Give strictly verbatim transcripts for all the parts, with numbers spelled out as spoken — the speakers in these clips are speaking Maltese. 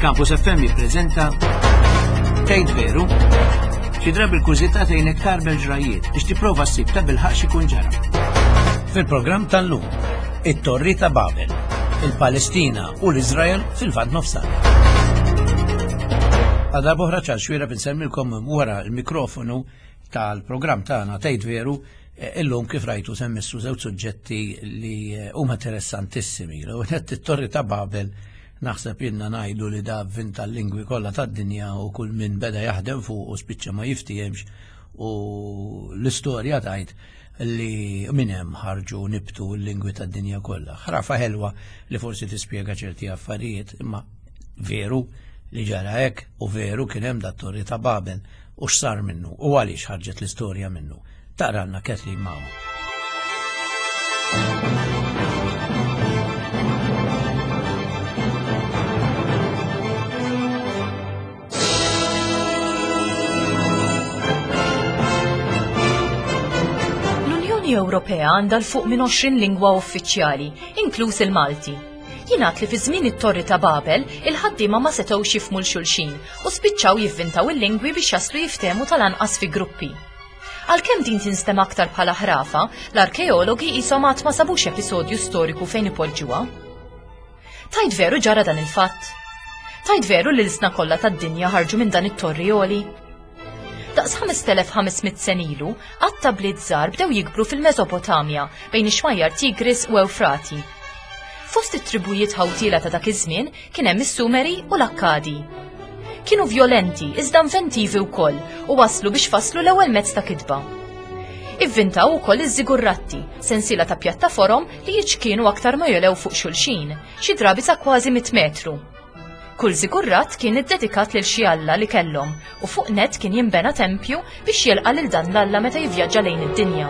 Campus F M jippreżenta Tgħid Veru? Xi drabi l-kurżità tgħinek tgħarbel ġrajiet biex tipprova ssib ta' bilħaq x'ikun ġara. Fil-programm tal-lum, it-Torri ta' Babel, il-Palestina u l-Iżrael fil-Lvant Nofsani. Għal darb'oħra Charles Xuereb insellmilkom wara l-mikrofonu tal-programm tagħna Tgħid Veru. eh, illum kif rajtu se mmissu żewġ suġġetti li eh, huma interessantissimi. L-ewwel it-Torri ta' Babel, naħseb jenna ngħidu li da vinta l-lingwi kollha tad-dinja u kull min beda jaħdem fuq u spiċċa ma jiftihemx, u l-istorja tgħid li minn hemm ħarġu nibtu l-lingwi tad-dinja kollha. Ħrafa ħelwa li forsi tispjega ċerti affarijiet, imma veru li ġara hekk u veru kien hemm dat Torri ta' Babel u x'sar minnu u għaliex ħarġet l-istorja minnu? Taqralna Kathleen Mao. L-Unjoni Ewropea għandha 'l fuq minn għoxrin lingwa uffiċjali, inkluż il-Malti. Jingħad li fi żmien it-Torri ta' Babel, il-ħaddiema ma setgħux jifhmu 'l xulxin u spiċċaw jivvintaw il-lingwi biex jaslu jiftehmu tal-anqas fi gruppi. Għalkemm din tinstema aktar bħala ħrafa, l-arkeologi qishom għad ma sabux episodju storiku fejn ipoġġuha. Tgħid veru ġara dan il-fatt? Tgħid veru li l-ilsna kollha tad-dinja ħarġu minn dan it-torri għoli? Daqs ħamest elef u ħames mitt sena ilu, għadd ta' bliet żgħar bdew jikbru fil-Mesopotamja bejn ix-xmajjar Tigris u Ewfrati. Fost it-tribujiet ħawtiela ta' dak iż-żmien kien hemm is-Sumeri u l-Akkadi. Kienu violenti iżda inventivi wkoll u waslu biex faslu l-ewwel mezz ta' kitba. Ivvintaw ukoll iż-żigurratti, sensiela ta' pjattaforom li jiċkienu aktar ma jogħlew fuq xulxin, xi drabi sa kważi mit metru. Kull żigurrat kien iddedikat lil xi alla li kellhom u fuq net kien jinbena tempju biex jilqa' lil dan l-alla meta jivvjaġġa lejn id-dinja.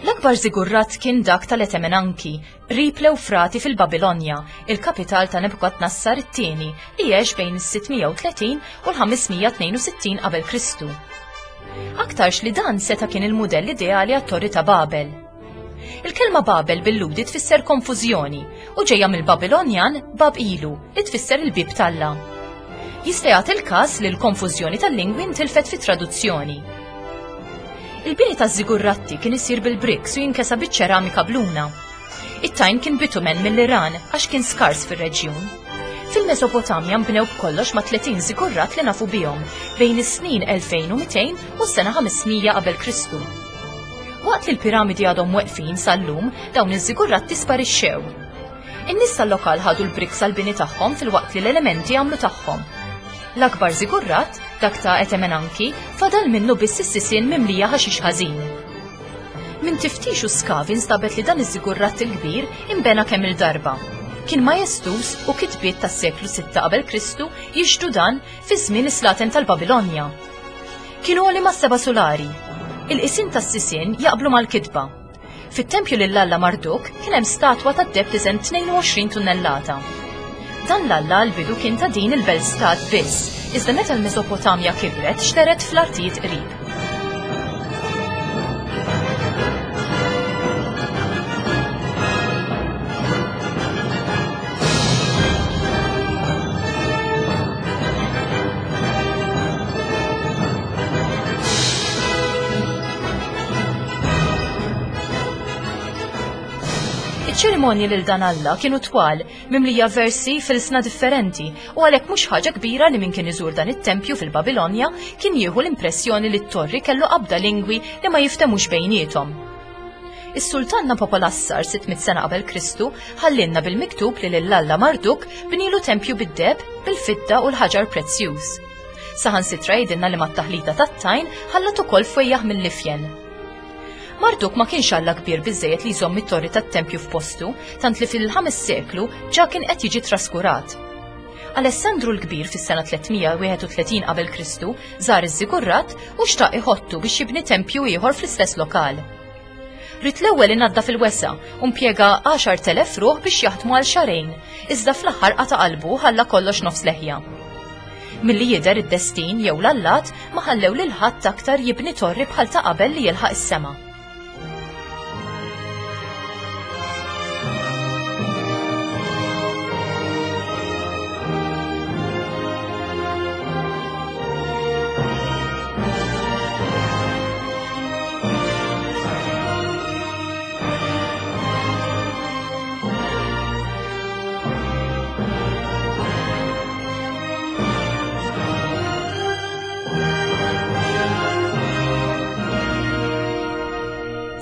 L-akbar żigurrat kien dak tal-Etemenanki, qrib l-Ewfrati fil-Babilonja, il-kapital ta' Nebukadnassar it-tieni li għex bejn is-sitt mija u tletin u l-ħames mija tnejn u sittin qabel Kristu. Aktarx li dan seta' kien il-mudell ideali għat-Torri ta' Babel. Il-kelma Babel bil-Lhudi tfisser konfużjoni u ġejja mill-Babilonjan Bab Ilu, li tfisser il-bib t'Alla. Jista' jagħti il-każ li l-konfużjoni tal-lingwi ntilfet fit-traduzzjoni. Il-bini ta' żigurratti kien isir bil-bricks u jinkesa biċ-ċeramika bluna. It-tajn kien bitumen mill-Iran għax kien skars fir-reġjun. Fil-Mesopotamja nbnew b'kollox ma' tletin żigurrat li nafu bihom bejn is-snin elfejn u mitejn u s-sena ħames mija qabel Kristu. Waqt li l-piramidi għadhom weqfin sal-lum, dawn iż-żigurratti sparixxew. In-nies tal-lokal ħadu l-bricks għal-bini tagħhom filwaqt li l-elementi għamlu tagħhom. L-akbar żigurrat, dak ta' Etemenanki, fadal minnu biss is-sisien mimlija ħaxix ħażin. Minn tiftix u skavi instabet li dan iż-żigurrat il-kbir imbena kemm il-darba. Kien majestuż u kitbiet tas-seklu sitta qabel Kristu jixhdu dan fi żmien is-slaten tal-Babilonja. Kienu għoli ma' seba' sulari. Il-qisien tas-sisien jaqblu mal-kitba. Fit-tempju lil-Alla Marduk kien hemm statwa tad-deheb tiżen tnejn u għoxrin tunnellata. Dan l-alla għal-bidu kien ta' din il-belt stat biss, iżda meta l-Mesopotamja kibret xteret fl-artijiet qrib. Iċ-ċerimonji lil dan Alla kienu twal, mimlija versi f'ilsna differenti, u għalhekk mhux ħaġa kbira li min kien iżur dan it-tempju fil-Babilonja kien jieħu l-impressjoni li t-torri kellu qabda lingwi li ma jiftemux bejniethom. Is-sultan Nabopolassar sitt mitt sena qabel Kristu ħallinna bil-miktub li lil-Alla Marduk bnilu tempju bid-deheb, bil-fidda u l-ħaġar prezzjuż. Saħansitra jgħidilna li mat-taħlita tat-tajn ħallat ukoll fwejjaħ mill-ifjen. Marduk ma kienx alla kbir biżejjed li jżomm it-torri tat-tempju f'postu, tant li fil-ħames seklu ġa kien qed jiġi traskurat. Alessandru l-Kbir fis-sena tliet mija u wieħed u tletin qabel Kristu żar iż-żigurrat u xtaq iħottu biex jibni tempju ieħor fl-istess lokal. Ried l-ewwel inaddaf il-wesgħa u impjega għaxart elef ruħ biex jaħdmu għal xahrejn, iżda fl-aħħar qata' qalbu, ħalla kollox nofs leħja. Milli jidher id-destin jew l-allat ma ħallew lil ħadd aktar jibni torri bħal ta' qabel li jilħaq is-sema.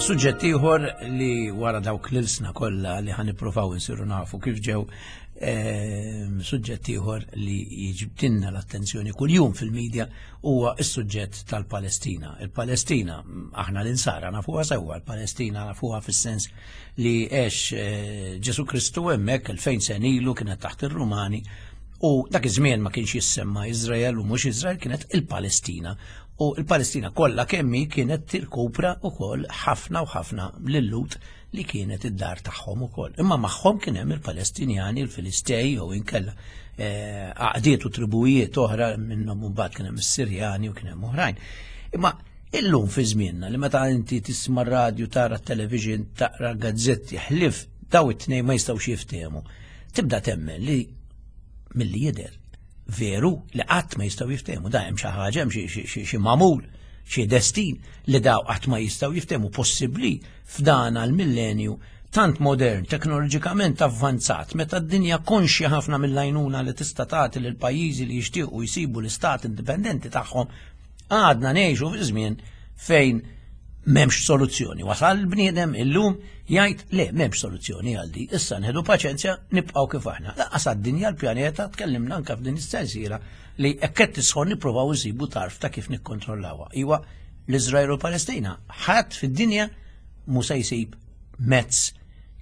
Suġġett ieħor li wara dawk l-ilsna kollha li ħa nippruvaw insiru nafu kif ġew, suġġett ieħor li jiġbdilna l-attenzjoni kuljum fil-medja huwa s-suġġett tal-Palestina. Il-Palestina, aħna l-insara nafuha sewwa, il-Palestina nafuha fis-sens li għex Ġesu Kristu hemmhekk elfejn sena ilu kienet taħt ir-Rumani u dak iż-żmien ma kienx jissemma Iżrael u mhux Iżrael, kienet il-Palestina. U il-Palestina kollha kemmi kienet tirkupra wkoll ħafna u ħafna lil-Lut li kienet id-dar tagħhom ukoll. Imma magħhom kien hemm il-Palestinjani, il-Filistej jew inkella għaqdiet u tribujiet oħra minnhom imbagħad kien hemm is-Sirjani u kien hemm oħrajn. Imma illum fi żmienna li meta inti tisma' r-radju, tara t-television, taqra gazzetti, ħlif daw it-tnejn ma jistgħux jiftehmu. Tibda temmen li milli jidher veru li qatt ma jistgħu jiftehmu, da hemm xi ħaġa, hemm xi magħmul, xi destin li daw qatt ma jistgħu jiftehmu. Possibbli f'dan għall-millenju tant modern, teknoloġikament avvanzat, meta d-dinja konxja ħafna mill-għajnuna li tista' tagħti lil pajjiżi li jixtiequ jsibu l-istat indipendenti tagħhom, għadna ngħixu fi żmien fejn m'hemmx soluzzjoni. Wasal il-bniedem illum jgħid le m'hemmx soluzzjoni għal di, issa nħedu paċenzja nibqgħu kif aħna. Lanqas għad-dinja l-pjaneta tkellimna anke f'din is-sensiela li hekk qed tisħon nippruvaw insibu tarf ta' kif nikkontrollawha. Iwa l-Iżrael u l-Palestina ħadd fid-dinja mhu se jsib mezz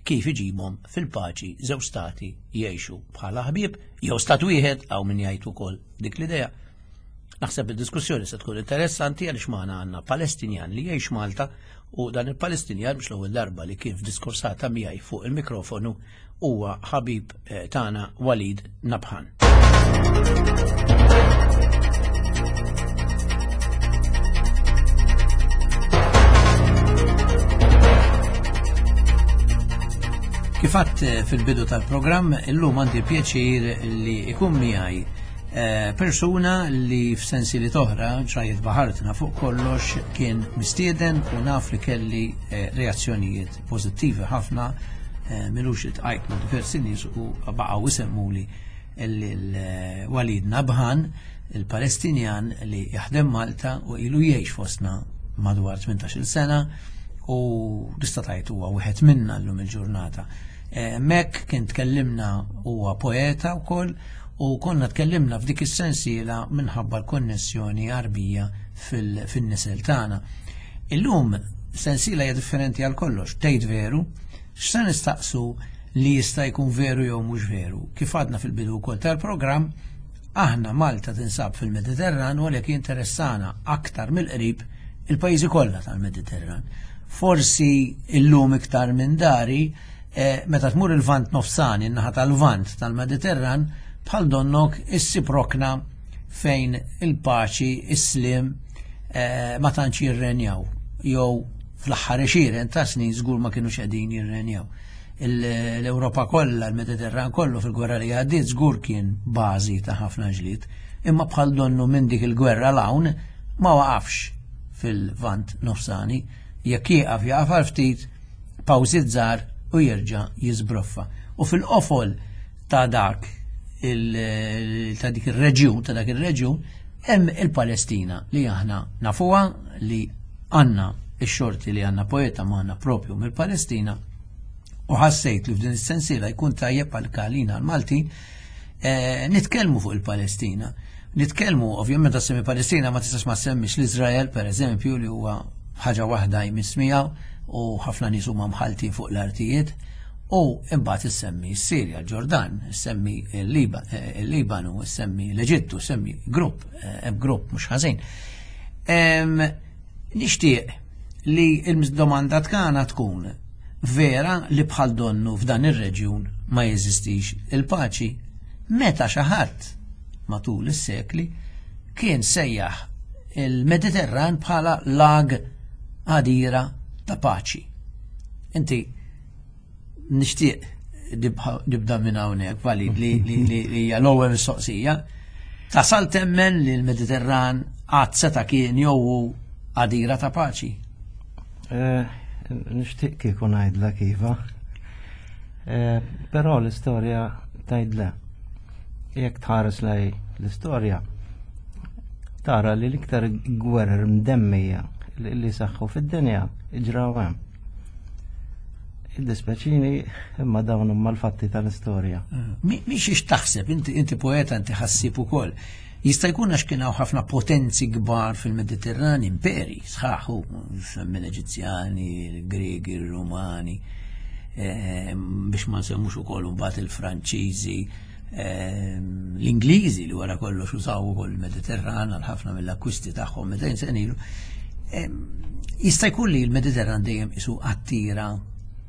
kif iġibhom fil-paċi żewġ stati jgħixu bħala ħbieb jew stat wieħed hawn min jgħid ukoll dik l-idea. Naħseb id-diskussjoni se tkun interessanti għaliex magħna għandna Palestinjan li jgħix Malta u dan il-Palestinjan mhux l-ewwel darba li kien f'diskursata miegħi fuq il-mikrofonu huwa ħabib tagħna Walid Nabhan. Kif għadt fil-bidu tal-programm, illum għandi pjaċir li ikun miegħi persuna li f'sensi li toħra ġrajiet baħartna fuq kollox kien mistieden u naf li kelli reazzjonijiet pożittivi ħafna, milux itqajt ma' diversi nies u baqgħu isemmuli l-Walid Nabhan, il-Palestinjan li jaħdem Malta u ilu jgħix fostna madwar tmintax-il sena u tista' tgħid huwa wieħed minna llum il-ġurnata. Mek kien tkellimna, huwa poeta wkoll, u konna tkellimna f'dik is-sensiela minħabba l-konnessjoni Għarbija fin-nisel tagħna. Illum sensiela hija differenti għal kollox, tgħid veru, x'se nistaqsu li jista' jkun veru jew mhux veru. Kif għadna fil-bidu wkoll tal-programm, aħna Malta tinsab fil-Mediterran u għalhekk jinteressana aktar mill-qrib il-pajjiżi kollha tal-Mediterran. Forsi illum iktar minn dari, meta tmur il-Vant nofsani, in-naħa tal-Vant tal-Mediterran, bħal donnok issib rokna fejn il-paċi, is-slim ma tantx jirrenjaw, jew fl-aħħar għexieren ta' snin żgur ma kinux qegħdin jirrenjaw. L-Ewropa kollha, l-Mediterran kollu fil-gwerra li għaddiet żgur kien bażi ta' ħafna ġlied, imma bħal donnu minn dik il-gwerra l-hawn ma waqafx fil-Vant nofsani, jekk jieqaf jaqaf għal ftit, pawżi żgħar u jerġa' jiżbroffa. U fil-qofol ta' dak ta' dik ir-reġjun, ta' dak ir-reġjun, hemm il-Palestina li aħna nafuha, li għandna ix-xorti li għandna poeta magħna propju mill-Palestina, u ħassejt li f'din is-sensiela jkun tajjeb għal kalina għal-Maltin nitkellmu fuq il-Palestina. Nitkellmu ovvjament ta' semmi Palestina ma tistax ma semmix l-Iżrael pereżempju li huwa ħaġa waħda jmiss miegħu u ħafna nies huma mħaltin fuq l-artijiet. U imbagħad issemmi s-Sirja, l-Ġordan, issemmi il-Libanu, issemmi l-Eġittu, issemmi grupp, hemm grupp mhux ħażin. Nixtieq li l-domanda tagħna tkun vera li bħal donnu f'dan ir-reġjun ma jeżistix il-paċi. Meta xi ħadd matul is-sekli kien sejjaħ il-Mediterran bħala lag għadira ta' paċi. Inti nixtieq nibda minn hawnhekk, Walid, li li hija l-ewwel mistoqsija. Tasal temmen li l-Mediterran qatt seta' kien jew għadira ta' paċi? Nixtieq kieku ngħidlek iva. Però l-istorja tgħid le. Jekk tħares lej l-istorja, tara li l-iktar gwerer mdemmija li saħħu fid-dinja ġraw hemm. Id-dispeċini imma dawn huma l-fatti tal-istorja. Mhix ix taħseb, inti poeta, inti ħassib ukoll. Jista' jkun għax kien hawn ħafna potenzi kbar fil-Mediterran, imperi sħaħu, minn Eġizzjani, il-Griegi, il-Rumani, biex ma nsemmux ukoll imbagħad il-Franċiżi, l-Ingliżi li wara kollox użaw ukoll il-Mediterran għal ħafna mill-akkwisti tagħhom mitejn sena ilu. Jista' jkun li l-Mediterran dejjem isu attira,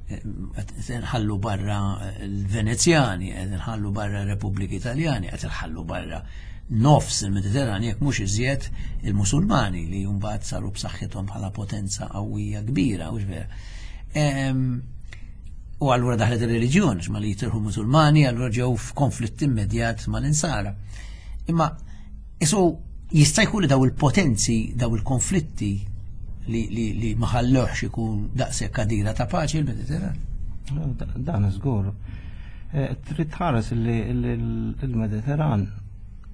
qed nħallu barra l-Venezjani, qed nħallu barra r-Repubbliki Italjani, qed nħallu barra nofs il-Mediterran jekk mhux iżjed il-Musulmani li mbagħad saru b'saħħithom bħala potenza qawwija kbira, hux vera. U allura daħlet ir-reliġjon, ma li jitirħu Musulmani, allura ġew f'konflitt immedjat mal-Insara. Imma isu jista' jkun li daw il-potenzi, daw il-konflitti li, li, li ma ħallewx ikun daqshekk għadira ta' paċi l-Mediterran. Dan żgur. Trid tħares li l-Mediterran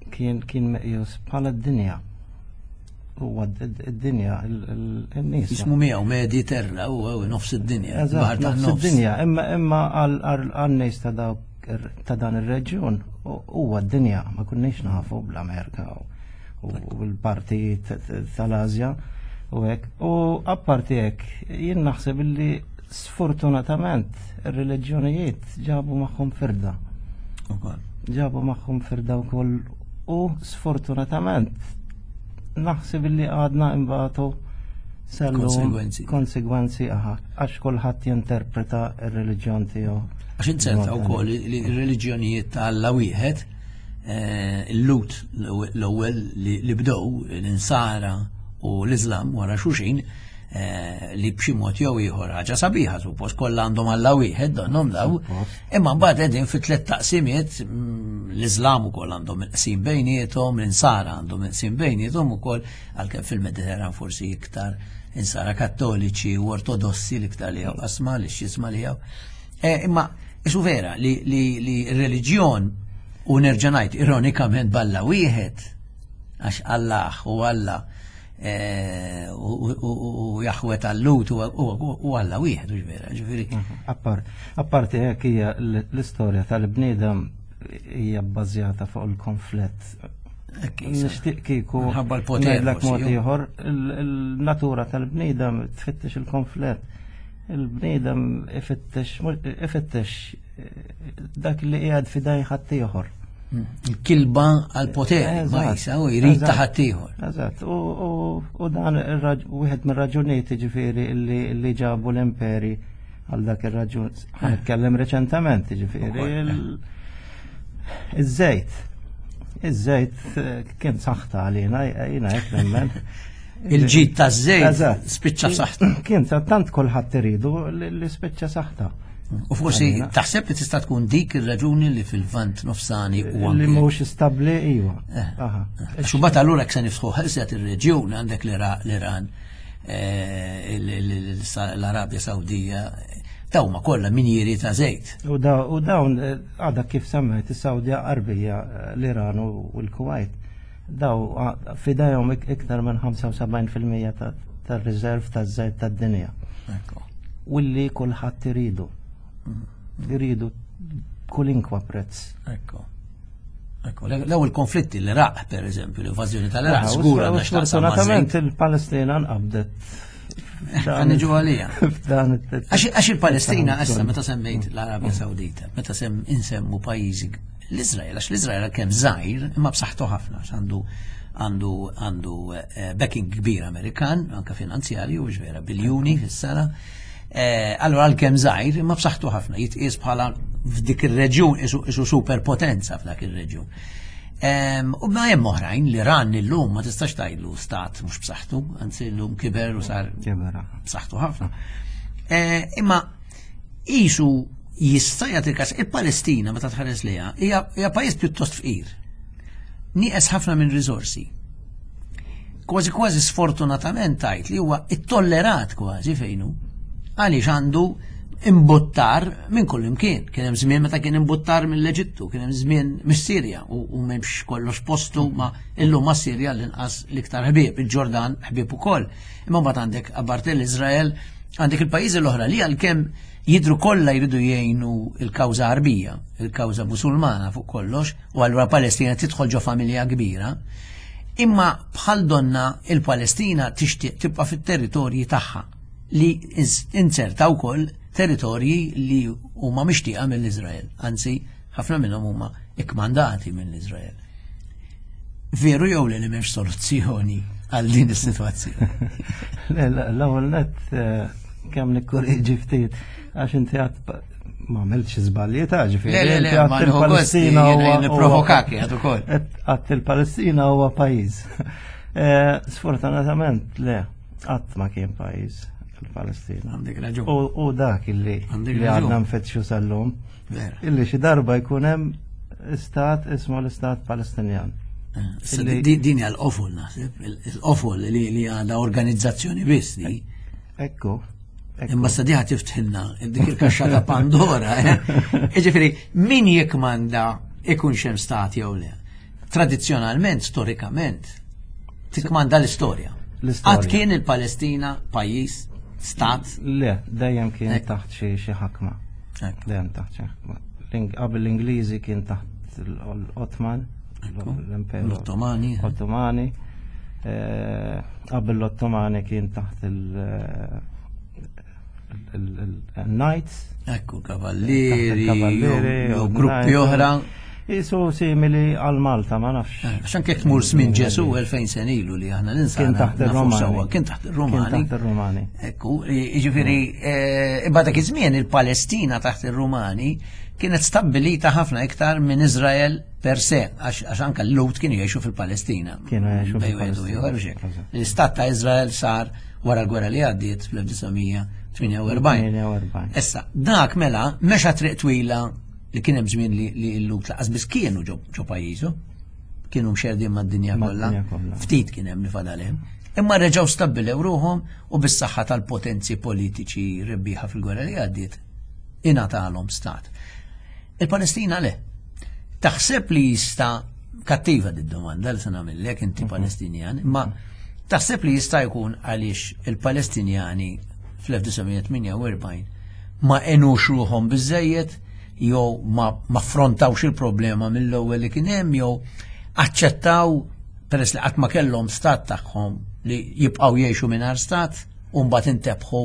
kien kien meqjus bħala d-dinja. Huwa d-dinja n-nies. Jismu miegħu Mediterra huwa nofs id-dinja. Nofs id-dinja, imma imma għan-nies ta' dawk ta' dan ir-reġjun huwa d-dinja, ma kunniex nafu bl-Amerika u l-parti tal-Asja u hekk. U apparti hekk jien naħseb illi sfortunatament ir-reliġjonijiet ġabu magħhom firda. Ġabu magħhom firda wkoll u sfortunatament naħseb illi għadna imbagħtu konsegwenzi. Konsegwenzi aha, għax kulħadd jinterpreta r-reliġjon tiegħu. Għax inzerta wkoll li r-reliġjonijiet ta' Alla wieħed, il-Lut l-ewwel li bdew l-Insara u l-Iżlam wara xulxin, li b'xi mod jew ieħor ħaġa sabiħa suppost kollha għandhom Alla wieħed donhom daw, imma mbagħad qegħdin fi tliet taqsimiet, l-Iżlam ukoll għandhom il-qsim bejniethom, l-Insara għandhom il-qsim bejniethom ukoll, għalkemm fil-Mediterran forsi iktar Insara Kattoliċi u Ortodossi l-iktar li hawn qasma li x'isma li hawn. Imma isu vera li r-reliġjon, u nerġa' ngħid ironikament b'Alla wieħed, għax Allah u Alla u Jaħweh tal-Lut u Alla wieħed, u vera, ġifieri. Apparti hekk hija l-istorja tal-bniedem hija bbażjata fuq il-konflitt. Nixtieq kieku minħabba l-poter mod ieħor, il-natura tal-bniedem tfittex il-konflitt. Il-bniedem ifittex ifittex dak li qiegħed f'idej ħaddieħor. Il-kilba għal-poter, ma jisa, u jrid ta' ħaddieħor. Eżatt, u dan wieħed mir-raġunijiet ġifieri li ġabu l-imperi għal dak ir-raġun. Ħanitkellem reċentament, ġifieri iż-żejt. Iż-żejt kien saħta għalina, jiena hekk nemmen. Il-ġid taż-żejt spiċċa saħta. Kien tant kulħadd iridu li spiċċa saħta. U forsi taħseb li tista' tkun dik ir-raġuni li fil-Lvant nofsani u li mhux stabbli, iva. Għax imbagħad allura jekk se nifsħu ħelset ir-reġjun għandek l-Iran, l-Arabja Sawdija, dawn ma kollha minjieri ta' żejt. U dawn għadha kif semmejt is-Sawdija Arbija, l-Iran u l-Kuwait, daw fidejhom iktar minn ħamsa u sebgħin fil-mija tar-riserv taż-żejt tad-dinja. U li kulħadd iridu. Iridu kulinkwa prezz. Ekko. Ekko, l-ewwel konflitti l-Iraq, per eżempju, l-invażjoni tal-Iraq, żgur għandha x'taqsam. Sfortunatament il-Palestina nqabdet. Ħaniġu għalija. Għax il-Palestina issa meta semmejt l-Arabja Sawdita, meta sem insemmu pajjiżi l-Iżrael, għax l-Iżrael kemm żgħir imma b'saħħtu ħafna, għax għandu għandu għandu backing kbir Amerikan, anke finanzjarju, u vera biljuni fis-sena. Allora għalkemm żgħir imma b'saħħtu ħafna, jitqies bħala f'dik ir-reġjun isu superpotenza f'dak ir-reġjun. U ma hemm oħrajn, l-Iran illum ma tistax tgħidlu stat mhux b'saħħtu, anzi llum kiber u sar b'saħħtu ħafna. Imma isu jista' jagħti każ il-Palestina meta tħares lejha hija pajjiż pjuttost fqir. Nieqes ħafna minn riżorsi. Kważi kważi sfortunatament tgħid li huwa ittollerat kważi fejnu għaliex għandu imbuttar minn kull imkien. Kien hemm żmien meta kien imbuttar mill-Eġittu, kien hemm żmien mis-Sirja u m'hemmx kollox postu ma illum ma' Sirja l-inqas l-iktar ħbieb, il-Ġordan ħbieb ukoll. Imma mbagħad għandek apparti l-Iżrael, għandek il-pajjiżi l-oħra li għalkemm jidru kollha jridu jgħinu il-kawża Arbija, il-kawża Musulmana fuq kollox, u allura Palestina tidħol ġo familja kbira. Imma bħal donna il-Palestina tixtieq tibqa' fit-territorji tagħha li inzerta wkoll territorji li huma mixtieqa mill-Iżrael, anzi ħafna minnhom huma ikkmandati mill-Iżrael. Veru jew li m'hemmx soluzzjoni għal din is-sitwazzjoni? L-ewwel nett kemm nikkorreġi ftit għax inti għad ma għamiltx żbalji ta' ġifieri. Le, le, le, ma il-Palestina huwa nipprovokak jgħid ukoll. Għad il-Palestina huwa pajjiż. Sfortunatament le, qatt ma kien pajjiż il-Palestina. Għandek raġun. U dak illi li għadna nfittxu sal-lum. Illi xi darba jkun hemm istat ismu l-Istat Palestinjan. Din hija l-qofol naħseb, il-qofol li għandha organizzazzjoni biss di. Ekku. Imma sa diħa tiftħilna dik il-kaxxa ta' Pandora. Jiġifieri min jikmanda ikun xem stat jew le. Tradizzjonalment, storikament, tikmanda l-istorja. Qatt kien il-Palestina pajjiż, stat? Le, dejjem kien taħt xi ħakma. Dejjem taħt xi ħakma. Qabel l-Ingliżi kien taħt l-Ottoman, l-Imperu. L-Ottomani. Ottomani. Qabel l-Ottomani kien taħt il- il-Knights. Ekku, kavallieri, u gruppi oħra. Isu simili għal Malta, ma nafx. Għax anke tmur żmien Ġesu elfejn sena ilu li aħna l-insana. Kien taħt ir-Romani. Kien taħt ir-Romani. Kien taħt ir-Romani. Ekku, jiġifieri, imma dak iż-żmien il-Palestina taħt ir-Rumani kienet stabbilita ħafna iktar minn Iżrael per se, għax anke l-Lut kienu jgħixu fil-Palestina. Kienu jgħixu fil-Palestina. L-istat ta' Iżrael sar wara l-gwerra li għaddiet fl-elf disa' mija tmienja u erbgħin. Issa, dak mela mexa triq twila li kien hemm żmien li l-Lut laqas biss kienu ġo pajjiżu, kienu mxerdin mad-dinja kollha, ftit kien hemm li fadal hemm. Imma reġgħu stabbilew ruħhom u bis-saħħa tal-potenzi politiċi rebbieħa fil-gwerra li għaddiet ingħatalhom stat. Il-Palestina le. Taħseb li jista' kattiva d-domanda li se nagħmellek inti Palestinjan, imma taħseb li jista' jkun għaliex il-Palestinjani fl-elf disa' mija tmienja u erbgħin ma għenux ruħhom biżżejjed jew ma affrontawx il-problema mill-ewwel li kien hemm jew aċċettaw peress li qatt ma kellhom stat tagħhom li jibqgħu jgħixu mingħajr stat u mbagħad intebħu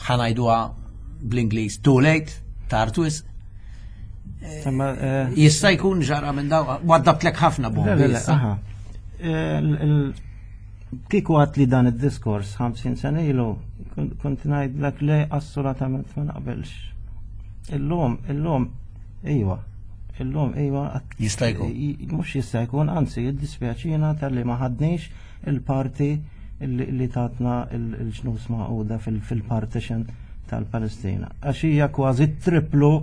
ħanajduha bl-Ingliż too late, tard wisq. Jista' jkun ġara minn daw, waddabtlek ħafna bombi. Kieku għat li dan id-diskors ħamsin sena ilu, kont ngħidlek le assolutament ma naqbilx. Illum, illum, iwa, illum, iwa. Jista' jkun. Mhux jista' jkun, anzi, jiddispjaċina tal-li ma ħadniex il-parti li tatna il-ġnus Magħquda fil-partition tal-Palestina. Għax hija kważi triplu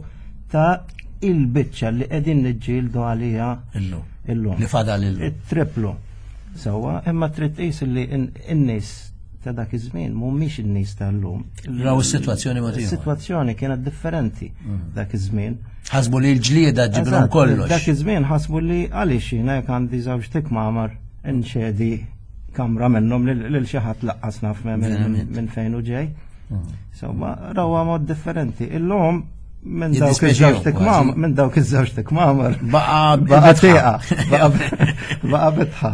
ta' il-biċċa li qegħdin niġġieldu għalija illum. Illum. Li fadal illum. It-triplu. Sewwa, imma trid tqis li n-nies ta' dak iż-żmien mhumiex in-nies tal-lum. Raw is-sitwazzjoni ma tiegħu. Is-sitwazzjoni kienet differenti dak iż-żmien. Ħasbu li l-ġlieda ġibilhom kollox. Dak iż-żmien ħasbu li għaliex jiena jekk għandi żewġ tikmamar inċedi kamra minnhom lil xi ħadd laqqas naf minn fejn hu ġej. Sewwa, rawha mod differenti. Illum minn dawk iż-żewġ tikmamar, minn dawk iż-żewġ tikmamar. Baqa' baqa' tieqa, baqa' bitħa.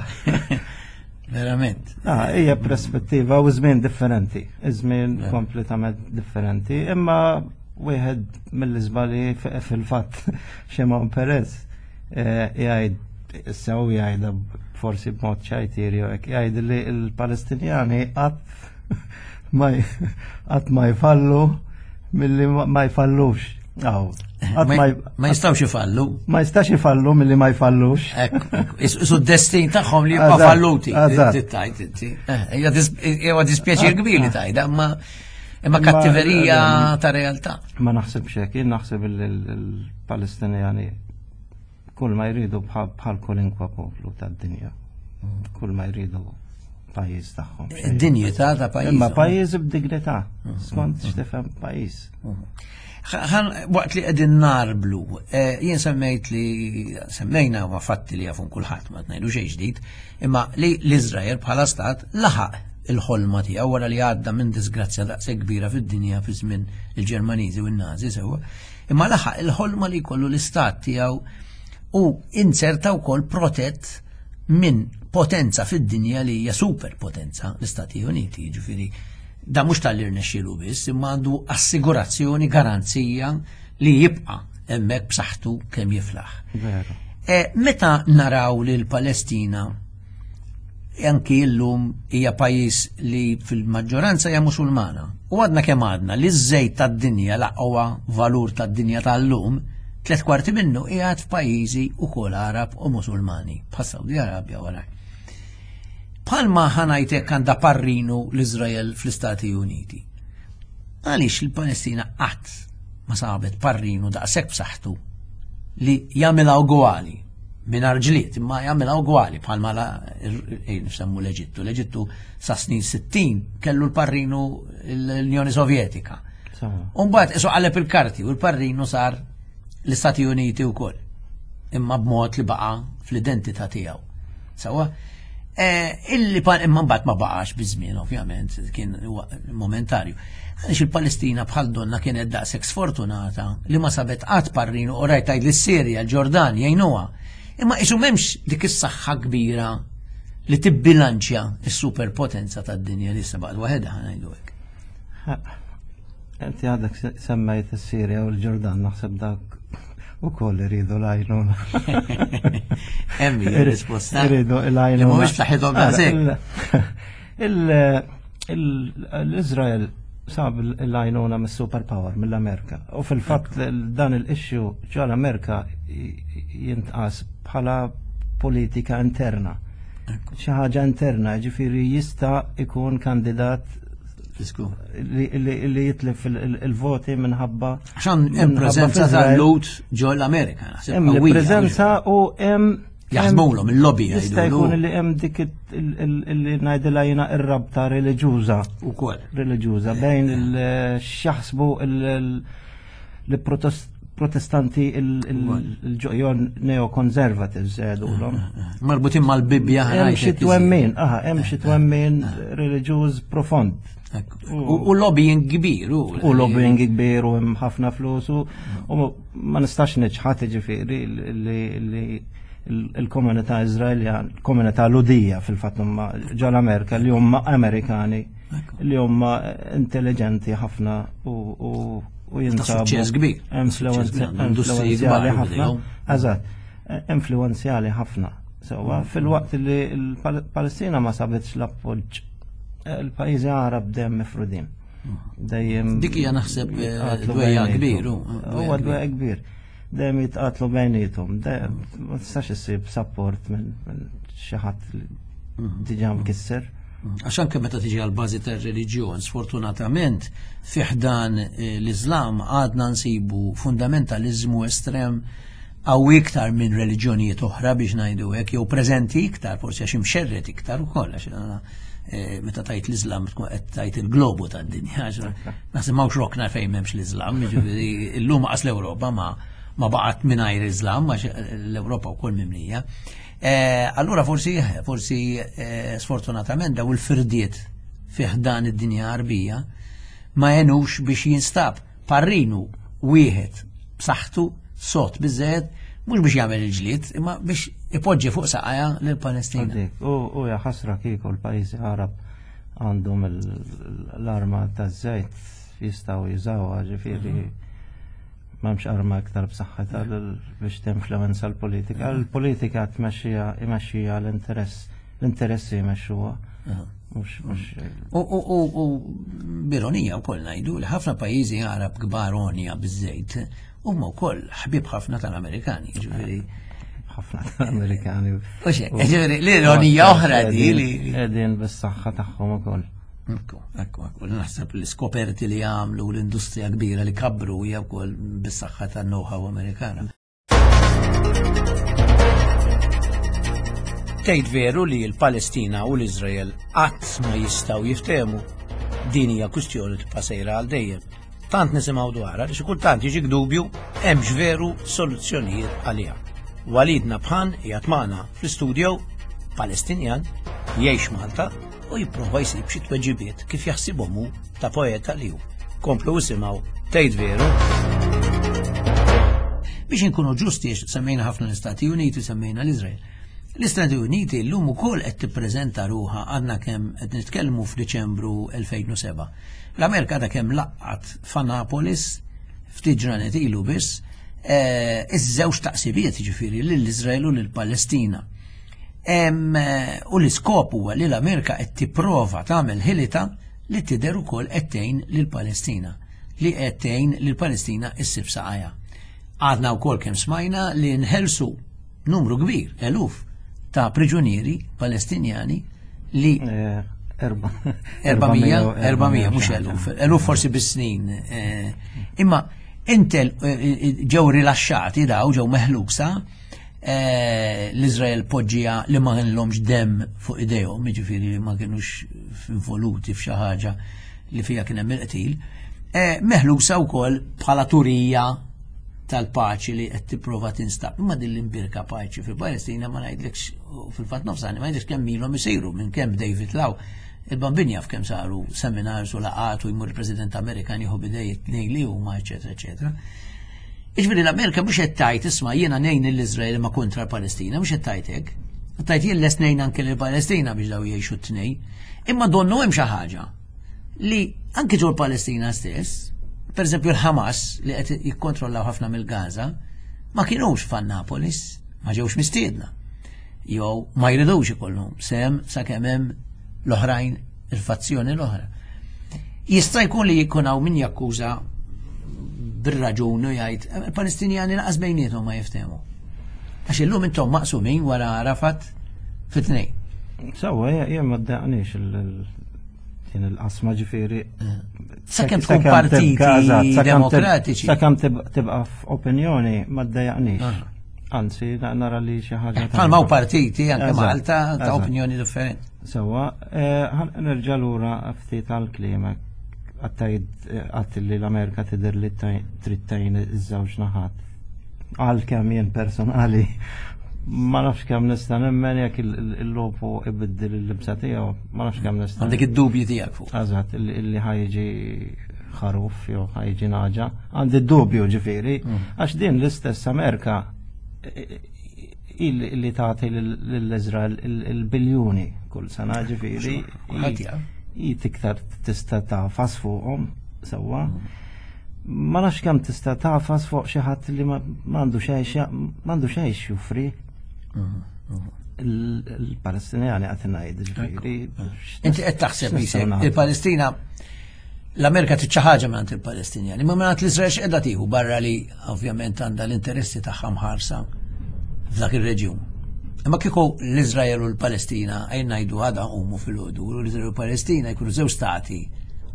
Verament. Ah, hija perspettiva u żmien differenti, żmien kompletament differenti, imma wieħed mill-iżbali fil-fatt Shimon Peres jgħid sew jgħidha forsi b'mod ċajtieri jew hekk, jgħid li l-Palestinjani qatt ma qatt ma jfallu milli ma jfallux. Aw, Ma jistgħux ifallu. Ma jistax ifallu milli ma jfallux. Isu d-destin tagħhom li jibqa' falluti. Hija dispjaċir kbir li tajda, imma imma kattiverija ta' realtà. Ma naħsibx hekk, jien naħseb il-Palestinjani kull ma jridu bħal kwalinkwa poplu tad-dinja. Kull ma jridu pajjiż tagħhom. Id-dinjità ta' pajjiż. Imma pajjiż b'dignità, skont x'tifhem pajjiż. Waqt li qegħdin narblu, jien semmejt li semmejna ma fatti li jafun kulħadd ma tnejdu xejn ġdid, imma li l-Iżrael bħala stat laħaq il-ħolma tiegħu wara li għadda minn disgrazzja daqshekk kbira fid-dinja fi żmien il-Ġermaniżi u n-Nazi sewwa, imma laħaq il-ħolma li jkollu l-istat tiegħu u inserta wkoll protett minn potenza fid-dinja li hija superpotenza, l-Istati Uniti, jiġifieri da mhux tal-li rnexxielu biss, imma għandu assigurazzjoni, garanzija li jibqa' hemmhekk b'saħħtu kemm jiflaħ. E, meta naraw li l-Palestina anki llum hija pajjiż li fil-maġġoranza hija Musulmana, u għadna kemm għadna li ż-żejt tad-dinja l-aqwa valur tad-dinja tal-lum, tliet kwarti minnu qiegħed f'pajjiżi wkoll Arab u Musulmani, bħas Saudi Arabja wara. Bħalma ħanajtek għandha parrinu l-Iżrael fl-Istati Uniti. Għaliex il-Palestina qatt ma sabet parrinu daqshekk b'saħħtu li jagħmilha ugwali mingħajr ġlied, imma jagħmilha ugwali bħalma nsemmu l-Eġittu. L-Eġittu sa snin sittin kellu l-parrinu l-Unjoni Sovjetika. U mbagħad isu qaleb il-karti u l-parrinu sar l-Istati Uniti wkoll, imma b'mod li baqa' fl-identità tiegħu. Sawa? Illi imma mbagħad ma baqax biż-żmien ovvjament, kien momentarju. Għaliex il-Palestina bħal donna kienet daqshekk sfortunata li ma sabet qatt parrinu u rajt tgħid lis-Sirja, l-Ġordan jgħinuha. Imma isu m'hemmx dik is-saħħa kbira li tibbilanċja s-superpotenza tad-dinja li issa baqgħet waħedha ngħidu hekk. Inti għadek semmejt is-Sirja u l-Ġordan, naħseb dak u koll iridu l-għajnuna. Hemm hija risposta. Iridu l-għajnuna. Mhumiex b'saħħithom daqshekk. L-Iżrael sab l-għajnuna mis-superpower, mill-Amerika. U fil-fatt dan il-issue ġo l-Amerika jintqas bħala politika interna. Xi ħaġa interna, ġifieri jista' ikun kandidat li jitlef il-voti minħabba. Għaxan hemm preżenza tal-Lhud ġo l-Amerika. Hemm preżenza u hemm jaħdmulhom il-lobby. Jista' jkun li hemm dik li ngħidilha jiena ir-rabta reliġjuża. Ukoll. Reliġjuża bejn x'jaħsbu l-protestanti il-ġojon neoconservatives għedulhom. Marbutin mal-Bibbja. Hemm xi twemmin, aha, hemm xi twemmin reliġjuż profond. U lobbying kbir. U lobbying kbir u hemm ħafna flus u ma nistax niċħad ġifieri li il-komunità Iżraeljan, il-komunità Lhudija fil-fatt huma ġol Amerika li huma Amerikani li huma intelligenti ħafna u jinsabu. Suċċess kbir. Influenzjali ħafna. Eżatt, influenzjali ħafna. Sewwa fil-waqt li l-Palestina ma sabitx l-appoġġ, il-pajjiżi Arab dejjem mifrudin. Dejjem dik hija naħseb dwejja kbir. Huwa dwejja kbir. Dejjem jitqatlu bejniethom, ma tistax issib support minn xi ħadd li diġà mkisser. Għax anke meta tiġi għal bażi tar-reliġjon, sfortunatament fi ħdan l-Iżlam għadna nsibu fundamentaliżmu estrem qawwi iktar minn reliġjonijiet oħra biex ngħidu hekk, jew preżenti iktar, forsi għax imxerred iktar ukoll, għax meta tajt l-Islam tkun qed tajt il-globu tad-dinja, naħseb m'hawnx rokna fejn m'hemmx l-Islam, jiġifieri llum qas l-Ewropa ma ma baqgħet mingħajr Islam, għax l-Ewropa wkoll mimlija. Allura forsi forsi sfortunatament daw il-firdiet fi ħdan id-dinja Arbija ma jenux biex jinstab parrinu wieħed b'saħħtu sot biżżejjed, mhux biex jagħmel il-ġlied, imma biex ipoġġi fuq saqajja lill-Palestina. U hija ħasra kieku l-pajjiżi Arab għandhom l-arma taż-żejt jistgħu jużawha, ġifieri m'hemmx arma aktar b'saħħitha biex tinfluwenza l-politika. L-politika tmexxija imexxija l-interess, l-interessi jmexxuha. U b'ironija wkoll ngħidu li ħafna pajjiżi Arab kbar onja biż-żejt Huma wkoll ħbieb ħafna tal-Amerikani, ġifieri. Ħafna tal-Amerikani. U xek, ġifieri l-ironija oħra di li. Qegħdin bis-saħħa tagħhom ukoll. Ekku, ekku, ekku, naħseb l-iskoperti li għamlu l-industrija kbira li kabru hija wkoll bis-saħħa tan-know-how Amerikana. Tgħid veru li l-Palestina u l-Iżrael qatt ma jistgħu jiftehmu. Din hija kwistjoni tibqa' sejra għal dejjem. Tant nisimgħu dwarha li xi kultant jiġik dubju hemmx veru soluzzjonijiet għaliha. Walid Nabhan qiegħed magħna fl-istudio, Palestinjan, jgħix Malta u jipprova jsib xi tweġibiet kif jaħsibhom hu ta' poeta li hu. Komplu isimgħu Tgħid Veru. Biex inkunu ġusti, semmejna ħafna l-Istati Uniti, semmejna l-Iżrael. L-Istati Uniti llum ukoll qed tippreżenta ruħha, għadna kemm qed nitkellmu f'Diċembru elfejn u seba'. L-Amerika għadha kemm laqgħat f'Annapolis ftit ġranet ilu biss iż-żewġ taqsibiet, jiġifieri lill-Iżrael u lill-Palestina. U l-iskop huwa li l-Amerika qed tipprova tagħmel ħilita li tidher ukoll qed tgħin lill-Palestina, li qed tgħin lill-Palestina issib saqajha. Għadna wkoll kemm smajna li nħelsu numru kbir, eluf ta' priġunieri Palestinjani li erba' erba' mija, mhux eluf, eluf forsi bis-snin. Imma intel ġew rilaxxati daw, ġew meħlusa, l-Iżrael poġġija li ma kellhomx demm fuq idejhom, jiġifieri li ma kinux involuti f'xi ħaġa li fiha kien hemm il-qtil, meħlusa wkoll bħala turija tal-paċi li qed tipprova tinstab. Imma din l-imbirka paċi fil-Palestina ma ngħidlekx, fil-fatt nofsani ma ngħidlekx kemm ilhom isiru minn kemm David Law. Il-Bambin jaf kemm saru seminars u laqat u jmur il-President Amerikan jieħu bidej it-tnejn li huma, eċetera, eċetera. Jiġifieri l-Amerika mhux qed tgħid isma' jiena ngħin lill-Iżrael ma kontra l-Palestina, mhux qed tgħid hekk. Qed tgħid jien lest ngħin anke lill-Palestina biex daw jgħixu t-tnejn. Imma donnu hemm xi ħaġa li anke ġol Palestina stess, per eżempju l-Hamas li qed jikkontrollaw ħafna mill-Gaza, ma kienux f'Annapolis, ma ġewx mistiedna. Jew ma jridux ikollhom sem sakemm hemm l-oħrajn, il-fazzjoni l-oħra. Jista' jkun li jkun hawn min jakkuża bir-raġun u jgħid il-Palestinjani laqas bejniethom ma jiftehmu. Għax illum intom maqsumin wara Arafat fit-tnejn. Sewwa, jien ma ddaqniex din il-qasma ġifieri. Sakemm tkun partiti demokratiċi. Sakemm tibqa' f'opinjoni ma ddejjaqniex. Anzi, nara li xi ħaġa. Bħalma partiti anke Malta ta' opinjoni differenti. Sewwa, nerġa' lura ftit għall-klimek. Għattajt għatt li l-Amerika tidher li trid tgħin iż-żewġ naħat. Għalkemm jien personali ma nafx kemm nista' nemmen jekk il-lopu ibiddel il-libsa tiegħu, ma nafx kemm nista'. Għandek id-dubji tiegħek fuq. Eżatt, illi ħajġi ħaruf jew ħajġi naġa. Għandi d-dubju ġifieri, għax din l-istess Amerika illi tagħti lill-Iżrael il-biljuni kull sena ġifieri. I tiktar tista' tafas fuqhom sewwa. Ma nafx kemm tista' tafas fuq xi ħadd li m'għandu xejn m'għandu xejn joffri. Il-Palestinjani qed ngħid ġifieri. Inti qed taħseb il-Palestina l-Amerika trid xi ħaġa mingħand il-Palestinjani, ma mingħand l-Iżrael x'qiegħda tieħu barra li ovvjament għandha l-interessi tagħha mħarsa f'dak ir-reġjun. Imma kieku l-Iżrael u l-Palestina għajn ngħidu għadha qumu fil-ħodu, u l-Iżrael u l-Palestina jkunu żewġ stati